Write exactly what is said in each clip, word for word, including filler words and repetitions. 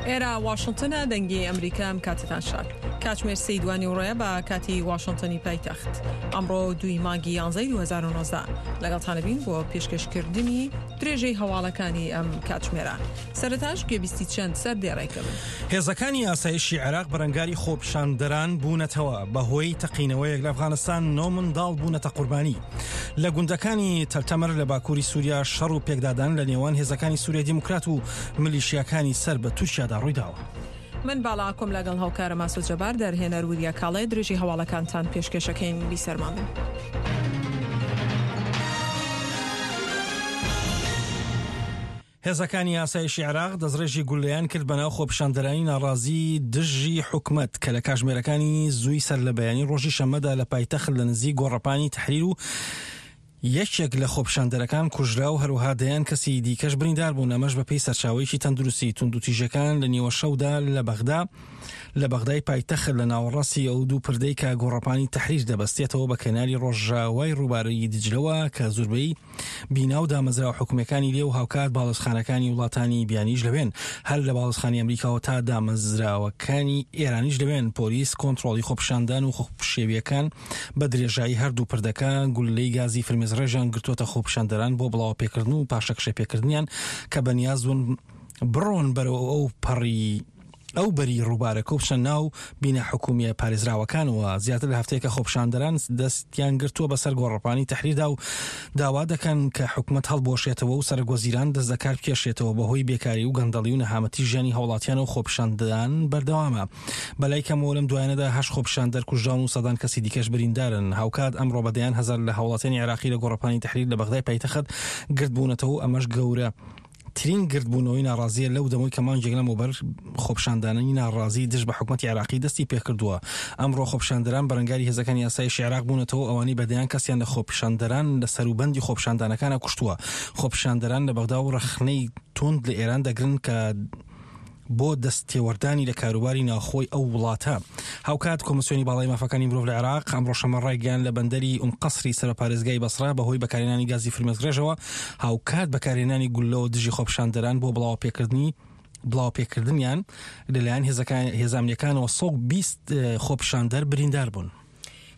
ئێرە واشنگتنە، دەنگی ئەمریکا. ئەم کاتتان شاد. کاتژمێر سێی دوانیوەڕۆیە بە کاتی واشنگتنی پایتەخت. ئەمڕۆ دووی مانگی یانزەی دوو هەزار و نۆزدە لەگەڵتانە بین بۆ پێشکەشکردنی درێژەی هەواڵەکانی ئەم کاتژمێرە. سەرەتاش گوێبیستی چەند سەردێڕێک دەبن. هێزەکانی ئاسایشی عێراق بەرەنگاری خۆپیشاندەران بوونەتەوە. بەهۆی تەقینەوەیەک لە ئەفغانستان نۆ منداڵ بوونەتە قوربانی. لە گوندەکانی تەلتەمر لە باکووری سووریا شەڕ و پێکدادان لە نێوان هێزەکانی سووریای دیموکرات و میلیشیاکانی سەر بە تورکیادا ڕوویداوە. من باڵاکۆم لەگەڵ هاوکارە ماسۆ جەبار، دەرهێنەر وریا کاڵێ، درێژی هەواڵەکانتان پێشکێشەکەین. بیسەرمان بن. هێزەکانی ئاسایشی عێراق دەستڕێژی گولەیان کرد بەناو خۆپیشاندەرانی ناڕازی دژی حکومەت کە لە کاژمێرەکانی زووی سەر لە بەیانی ڕۆژی شەممەدا لە پایتەخت لە نزیک گۆڕەپانی تەحریر و یەکێک لە خۆپیشاندەرەکان کوژرا و هەروەها دەیان کەسی دیکەش بریندار بوون. ئەمەش بەپێی سەرچاوەیەکی تەندروستی. توندوتیژەکان لە نیوەشەودا لە بەغدا لە بەغدای پایتەخت لە ناوەڕاستی ئەو دوو پردەی کە گۆڕەپانی تەحریر دەبەستێتەوە بە کەناری ڕۆژاوای ڕووبارەی دجلەوە کە زوربەی بینا و دامەزراوە حکومیەکانی لێ و هاوکات باڵیۆزخانەکانی وڵاتانی بیانیش لەوێن، هەر لە باڵیۆزخانی ئەمریکاوە تا دامەزراوەکانی ئێرانیش لەوێن. پۆلیس کۆنترۆڵی خۆپیشاندان و خۆپشێویەکان بە درێژایی هەردوو پردەکە گوللەی گازی فرمێسڕێژیان گرتووەتە خۆپیشاندەران بۆ بڵاوەپێکردن و پاشەکشەپێکردنیان کە بەنیاز بوون بڕۆن بەرەو ئەو پەڕی ئەو بەری ڕووبارەکە و بچنە ناو بینا حکومیە پارێزراوەکانەوە. زیاتر لە هەفتەیەکە خۆپیشاندەران دەستیان گرتووە بەسەر گۆڕەپانی تەحریردا و داوا دەکەن کە حکومەت هەڵبوەشێتەوە و سەرەک وەزیران دەست لە کار بکێشێتەوە. بەهۆی بێکاری و گەندەڵی و نەهامەتی ژیانی هاوڵاتیان و خۆپیشاندان بەردەوامە. بەلای کەمەوە لەم دوایانەدا هەشت خۆپیشاندەر کوژراون و سەدان کەسی دیکەش بریندارن. هاوکات ئەمڕۆ بە دەیان هەزار لە هاوڵاتیانی عێراقی لە گۆڕەپانی تەحریر لە بەغدای پایتەخت گردبوونەتەوە و ئەمەش گەورە ترین گردبوونەوەی ناڕازیە لەو دەمەوەی کە مانگێک لەمەوبەر خۆپیشاندانانی ناڕازی دژ بە حکومەتی عێراقی دەستی پێکردووە. ئەمڕۆ خۆپیشاندەران بەرەنگاری هێزەکانی ئاسایشی عێراق بوونەتەوە، ئەوانەی بە دەیان کەسیان لە خۆپیشاندەران لە سەروبەندی خۆپیشاندانەکانە کوشتووە. خۆپیشاندەران لە بەغدا و ڕەخنەی توند لە ئێران دەگرن کە بۆ دەستێوەردانی لە کاروباری ناوخۆی ئەو وڵاتە. هاوکات کۆمسیۆنی باڵای مافەکانی مرۆڤ لە عێراق ئەمڕۆ شەممە ڕایگەیاند لە بەندەری ئوم قەسری سەر بە پارێزگای بەسرە بەهۆی بەکارهێنانی گازی فرمێسکڕێژەوە هاوکات بەکارهێنانی گوللەوە دژی خۆپیشاندەران بۆ بڵاوەپێکردنی بڵاوپێکردنیان لەلایەن هێزە ئەمنییەکانەوە سەد و بیست خۆپیشاندەر بریندار بوون.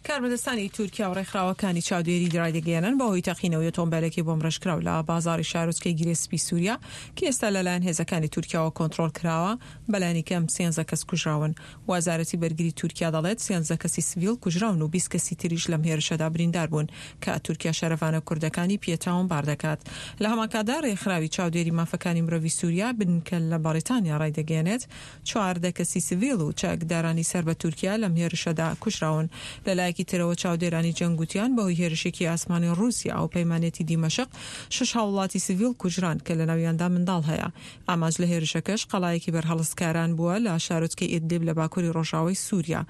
کاربەدەستانی تورکیا و ڕێکخراوەکانی چاودێری ڕایدەگەیەنن بەهۆی تەقینەوەی ئۆتۆمبیلێکی بۆمبڕێژکراو لە بازاڕی شارۆچکەی گرێ سپی سووریا کە ئێستا لەلایەن هێزەکانی تورکیاوە کۆنترۆڵ کراوە بەلایەنی کەم سێنزە کەس کوژراون. وەزارەتی بەرگری تورکیا دەڵێت سێنزە کەسی سڤیل کوژراون و بیست کەسی تریش لەم هێرشەدا بریندار بوون کە تورکیا شەرەڤانە کوردەکانی پێ تاوانبار دەکات. لە هەمانکاتدا ڕێکخراوی چاودێری مافەکانی مرۆڤی سووریا بنکە لە بەریتانیا ڕایدەگەیەنێت چواردە کەسی سڤیل و چەکدارانی سەر بە تورکیا لەم هێرشەدا کوژراون. لەلایەکی ترەوە چاودێرانی جەنگ گوتیان بەهۆی هێرشێکی ئاسمانی ڕووسیا و پەیمانێتی دیمەشق شەش هاوڵاتی سڤیل کوژران کە لەناویاندا منداڵ هەیە. ئامانج لە هێرشەکەش قەڵایەکی بەرهەڵستکاران بووە لە شارۆچکەی ئیدلیب لە باکووری ڕۆژاوای سووریا.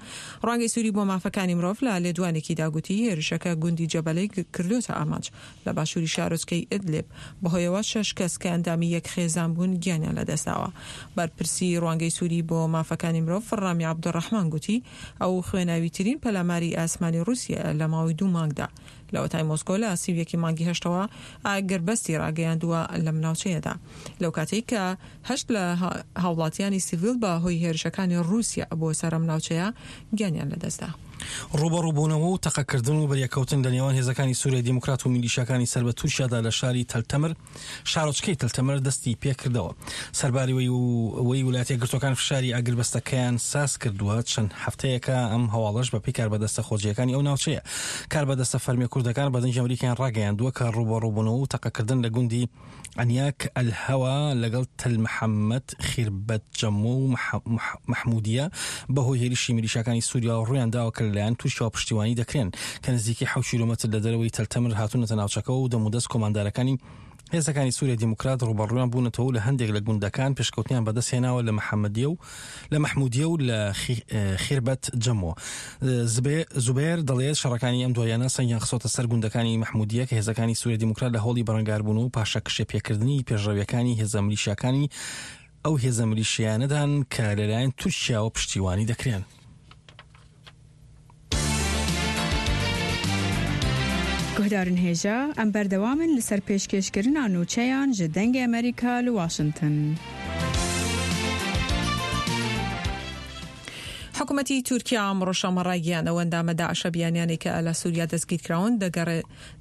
ڕوانگەی سووری بۆ مافەکانی مرۆڤ لە لێدوانێکیدا گوتی هێرشەکە گوندی جەبەلەی کردووەتە ئامانج لە باشووری شارۆچکەی ئیدلیب، بەهۆیەوە شەش کەس کە ئەندامی یەک خێزان بوون گیانیان لەدەستداوە. بەرپرسی ڕوانگەی سووری بۆ مافەکانی مرۆڤ ڕامی عەبدولڕەحمان گوتی ئەو خوێناویترین پەلاماری ئاسمانی ڕووسیایە لە ماوەی دوو مانگدا لەوەتای مۆسکۆ لە سی و یەکی مانگی هەشتەوە ئاگربەستی ڕاگەیاندووە لەم ناوچەیەدا لەو کاتەی کە هەشت لە هاوڵاتیانی سیڤیل بە هۆی هێرشەکانی ڕووسیا بۆ سەر ئەم ناوچەیە گیانیان لەدەستدا. ڕووبەڕووبوونەوە و تەقەکردن و بەریەککەوتن لە نێوان هێزەکانی سووریای دیموکرات و میلیشیاکانی سەر بە تورکیادا لە شاری تەلتەمر شارۆچکەی تەلتەمر دەستی پێکردەوە. سەرباری وەی ویلایەتە یەکگرتووەکان فشاری ئاگربەستەکەیان ساز کردووە چەند هەفتەیەکە ئەم هەواڵەش بەپێی کاربەدەستە خۆجێیەکانی ئەو ناوچەیە. کاربەدەستە فەرمیە کوردەکان بە دەنگی ئەمریکایان ڕاگەیاندووە کە ڕووبەڕووبوونەوە و تەقەکردن لە گوندی ئەنیاک ئەلهەوا لەگەڵ تەل محەممەد خیربەت جەمۆ و مەحمودیە بەهۆی هێرشی میلیشیاکانی سووریاوە ڕوویان داوە کە لەلایەن تورکیاوە پشتیوانی دەکرێن کە نزیکەی حەوت کیلۆمەتر لە دەرەوەی تەلتەمر هاتوونەتە ناوچەکەوە و دەمودەست کۆماندارەکانی هێزەکانی سووریای دیموکرات ڕووبەڕوویان بوونەتەوە و لە هەندێک لە گوندەکان پێشکەوتنیان بەدەستهێناوە لە محەممەدیە و لە مەحمودیە و لە خیربەت جەمۆ. زوبێر دەڵێت شەڕەکانی ئەم دواییانە سەنگیان خستۆتە سەر گوندەکانی مەحمودیە کە هێزەکانی سووریای دیموکرات لە هەوڵی بەرەنگاربوون و پاشەکشێ پێکردنی پێشڕەویەکانی هێزە میلیشیاکانی ئەو هێزە میلیشیانەدان کە لەلایەن تورکیاوە پشتیوانی دەکرێن. گوهدارن هێژا ئەم بەردەوامن لەسەر پێشکێشکردنا نوچەیان ji دەنگی ئەمریکا لە واشنگتن. حکوومەتی تورکیا ئەمڕۆ شەممە ڕایگەیاند، ئەو ئەندامە داعشە بیانیانەی کە لە سووریا دەستگیرکراون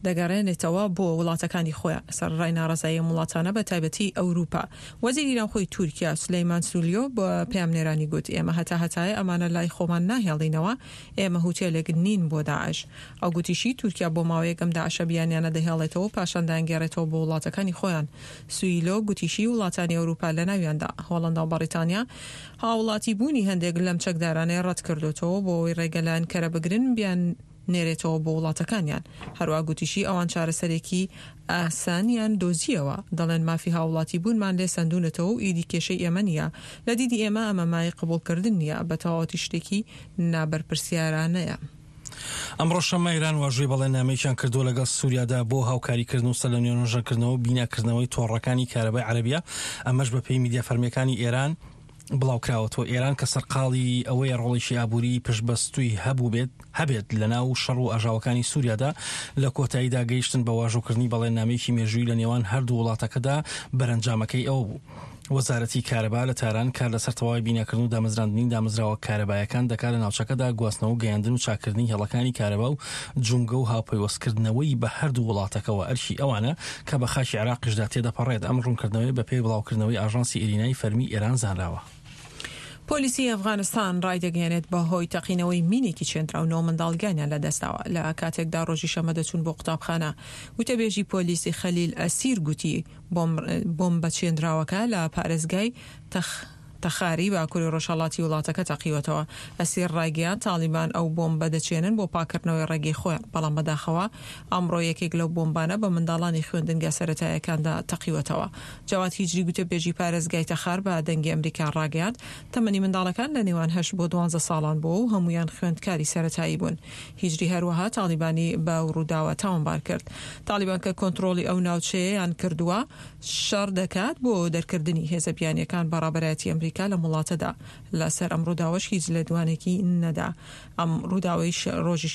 دەگەڕێنێتەوە بۆ وڵاتەکانی خۆیان، سەرەڕای ناڕەزایی ئەم وڵاتانە بە تایبەتی ئەوروپا. وەزیری ناوخۆی تورکیا سولەیمان سولیۆ بە پەیامنێرانی گوت، ئێمە هەتا هەتایە ئەمانە لای خۆمان ناهێڵینەوە، ئێمە هوتێلێک نین بۆ داعش. ئەو گوتیشی، تورکیا بۆ ماوەیەک ئەم داعشە بیانیانە دەهێڵێتەوە و پاشان دەیانگێڕێتەوە بۆ وڵاتەکانی خۆیان. سویلۆ گوتیشی، وڵاتانی ئەوروپا لەناویاندا هۆڵەندا و بەڕیتانیا هاوڵاتی بوونی هەندێک لەم چەکدارانەی ڕەتکردۆتەوە بۆ ئەوەی ڕێگە لە ئەنکەرە بگرن بیاننێرێتەوە بۆ وڵاتەکانیان. هەروا گوتیشی ئەوان چارەسەرێکی ئاسانیان دۆزییەوە، دەڵێن مافی هاوڵاتی بوونمان لێ سەندوونەتەوە و ئیدی کێشەی ئێمە نییە. لە دیدی ئێمە ئەمە مایەی قبوڵکردن نییە، بە تەواوەتی شتێکی نابەرپرسیارانەیە. ئەمڕۆ شەممە ئێران واژۆی بەڵێننامەیەکیان کردووە لەگەڵ سووریادا بۆ هاوکاریکردن و سەرلەنوێ نۆژەنکردنەوە و بیناکردنەوەی تۆڕەکانی کارەبای عەرەبیە، ئەمەش بەپێی میدیا فەرمییەکانی ئێران بڵاوکراوەتەوە. ئێران کە سەرقاڵی ئەوەیە ڕۆڵێکی ئابووریی پشتبەستووی هەبووبێت هەبێت لەناو شەڕ و ئاژاوەکانی سووریادا، لە کۆتاییدا گەیشتن بە واژۆکردنی بەڵێننامەیەکی مێژوویی لە نێوان هەردوو وڵاتەکەدا بەرەنجامەکەی ئەوە بوو وەزارەتی کارەبا لە تاران کار لەسەر تەواوی بیناکردن و دامەزراندنی دامەزراوە کارەبایەکان دەکات لە ناوچەکەدا، گواستنەوە و گەیاندن و چاککردنی هێڵەکانی کارەبا و جومگە و هاوپەیوەستکردنەوەی بە هەردوو وڵاتەکەوە ئەرکی ئەوانە کە بە خاکی عێراقیشدا تێدەپەڕێت. ئەم ڕوونکردنەوەیە بەپێی بڵاوکردنەوەی ئاژانسی ئیرینای فەرمی ئێران زانراوە. پۆلیسی ئەفغانستان ڕایدەگەیەنێت بەهۆی تەقینەوەی مینێکی چێندراو نۆ منداڵ گیانیان لەدەستداوە لە کاتێکدا ڕۆژی شەممە دەچوون بۆ قوتابخانە. وتەبێژی پۆلیسی خەلیل ئەسیر گوتی بۆمبە چێندراوەکە لە پارێزگای تەخاری باکوری ڕۆژهەڵاتی وڵاتەکە تەقیوەتەوە. ئەسیر ڕایگەیاند تاڵیبان ئەو بۆمبە دەچێنن بۆ پاککردنەوەی ڕێگەی خۆیان، بەڵام بەداخەوە ئەمڕۆ یەکێک لەو بۆمبانە بە منداڵانی خوێندنگا سەرەتاییەکاندا تەقیوەتەوە. جەواد هیجری گوتەبێژی پارێزگای تەخار بە دەنگی ئەمریکا ڕاگەیاند تەمەنی منداڵەکان لە نێوان هەشت بۆ دوانزە ساڵان بووە و هەموویان خوێندکاری سەرەتایی بوون. هیجری هەروەها تاڵیبانی بەو ڕووداوە تاوانبار کرد. تاڵیبان کە کۆنترۆڵی ئەو ناوچەیەیان کردووە، شەڕ دەکات بۆ دەرکردنی هێزە بیانییەکان بە ڕابەرایەتی ئەمریکا لەم وڵاتەدا. لەسەر ئەم ڕووداوەش هیچ لێدوانێکی نەدا. ئەم ڕووداوەی ڕۆژی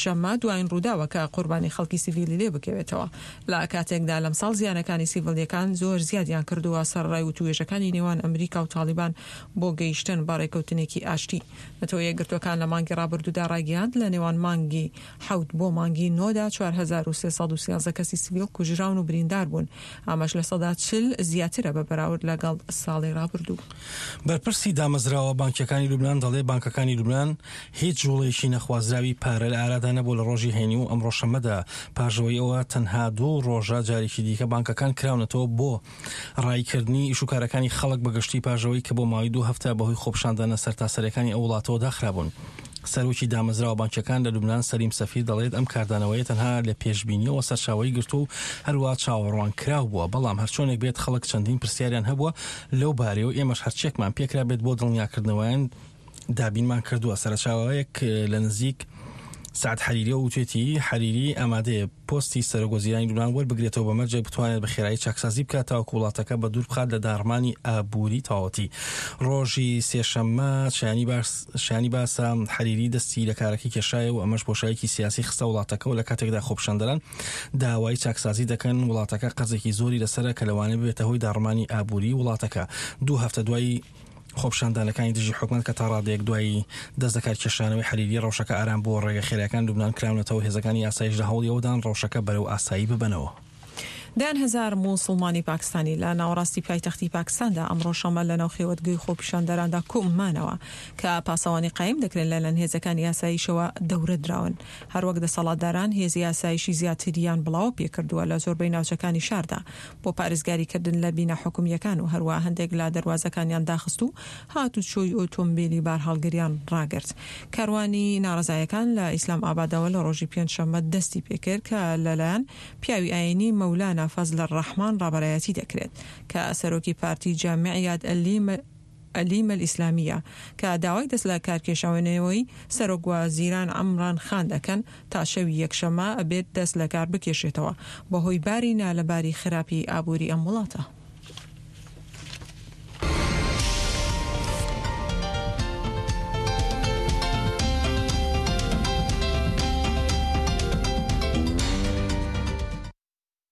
شەممە دوایین ڕووداوە کە قوربانی خەڵکی سیڤیلی لێ بکەوێتەوە. لە کاتێکدا لەمساڵ زیانەکانی سیڤیلییەکان زۆر زیادیان کردووە سەرەڕای وتووێژەکانی نێوان ئەمریکا و تاڵیبان بۆ گەیشتن بە ڕێکەوتنێکی ئاشتی. نەتەوە یەکگرتووەکان لە مانگی ڕابردوودا ڕایگەیاند لە نێوان مانگی حەوت بۆ مانگی نۆدا چوار هەزار و سێ سەد و سیازدە کەسی سڤیل کوژراون و بریندار بوون، ئەمەش لە سەدا چل زیاترە بە بەراورد لەگەڵ ساڵی ڕابردوو. بەرپرسی دامەزراوە بانکییەکانی لوبنان دەڵێت، بانکەکانی لوبنان هیچ جوڵەیەکی نەخوازراوی پارە لە ئارادا نەبووە لە ڕۆژی هەینی و ئەمڕۆ شەممەدا، پاش ئەوەی ئەوە تەنها دوو ڕۆژە جارێکی دیکە بانکەکان کراونەتەوە بۆ ڕاییکردنی ئیشوکارەکانی خەڵک بە گشتی پاش ئەوەی کە بۆ ماوەی دوو هەفتە بەهۆی خۆپیشاندانە سەرتاسەرییەکانی ئەو وڵاتەوە داخرابوون. سەرۆکی دامەزراوە بانکییەکان لە لوبنان سەلیم سەفیر دەڵێت ئەم کاردانەوەیە تەنها لە پێشبینییەوە سەرچاوەی گرتووە و هەروا چاوەڕوانکراو بووە، بەڵام هەرچۆنێک بێت خەڵک چەندین پرسیاریان هەبووە لەو بارەیەوە ئێمەش هەرچیەکمان پێکرابێت بۆ دڵنیاکردنەوەیان دابینمان کردووە. سەرچاوەیەک لە نزیک سەعد حەریریەوە وتوێتی، حەریری ئامادەیە پۆستی سەرۆک وەزیرانی لوبنان وەربگرێتەوە بە مەرجێک بتوانێت بە خێرایی چاکسازی بکات تاوەکو وڵاتەکە بە دوور بخات لە داڕمانی ئابووری تەواوەتی. ڕۆژی سێشەممە شایانی باسە حەریری دەستی لە کارەکەی کێشایەوە و ئەمەش بۆشایەکی سیاسی خستە وڵاتەکەوە لە کاتێکدا خۆپیشاندەران داوای چاکسازی دەکەن وڵاتەکە قەرزێکی زۆری لەسەرە کە لەوانەیە ببێتە هۆی داڕمانی ئابووری وڵاتەکە دوو هەفتە دوای خۆپیشاندانەکانی دژی حکومەت کە تا ڕادەیەک دوای دەست لەکارکێشانەوەی حەریری ڕەوشەکە ئارام بووە، ڕێگە خێراکان لوبنان کراونەتەوە، هێزەکانی ئاسایش لە هەوڵی ئەوەدان ڕەوشەکە بەرەو ئاسایی ببەنەوە. دەیان هەزار موسڵمانی پاکستانی لە ناوەڕاستی پایتەختی پاکستاندا ئەمڕۆ شەممە لەناو خێوەتگەی خۆپیشاندەراندا کۆمانەوە کە پاسەوانی قایم دەکرێن لەلایەن هێزەکانی ئاسایشەوە دەورە دراون. هەروەک دەسەڵاتداران هێزی ئاسایشی زیاتریان بڵاوە پێکردووە لە زۆربەی ناوچەکانی شاردا بۆ پارێزگاریکردن لە بینا حکومییەکان و هەروەها هەندێک لە دەروازەکانیان داخست و هاتوچۆی ئۆتۆمبیلی بارهەڵگریان ڕاگرت. کاروانی ناڕەزایەکان لە ئیسلام ئابادەوە لە ڕۆژی پێنجشەممە دەستی پێکرد کە لەلایەن پیاوی ئایینی مەولانا فەزلەڕەحمان ڕابەرایەتی دەکرێت کە سەرۆکی پارتی جامیعیات ئەلیمە ئیسلامییە کە داوای دەست لە کارکێشانەوەی سەرۆک وەزیران عەمران خان دەکەن تا شەوی یەکشەممە ئەبێت دەست لەکار بکێشێتەوە بەهۆی باری نالەباری خراپی ئابووری ئەم وڵاتە.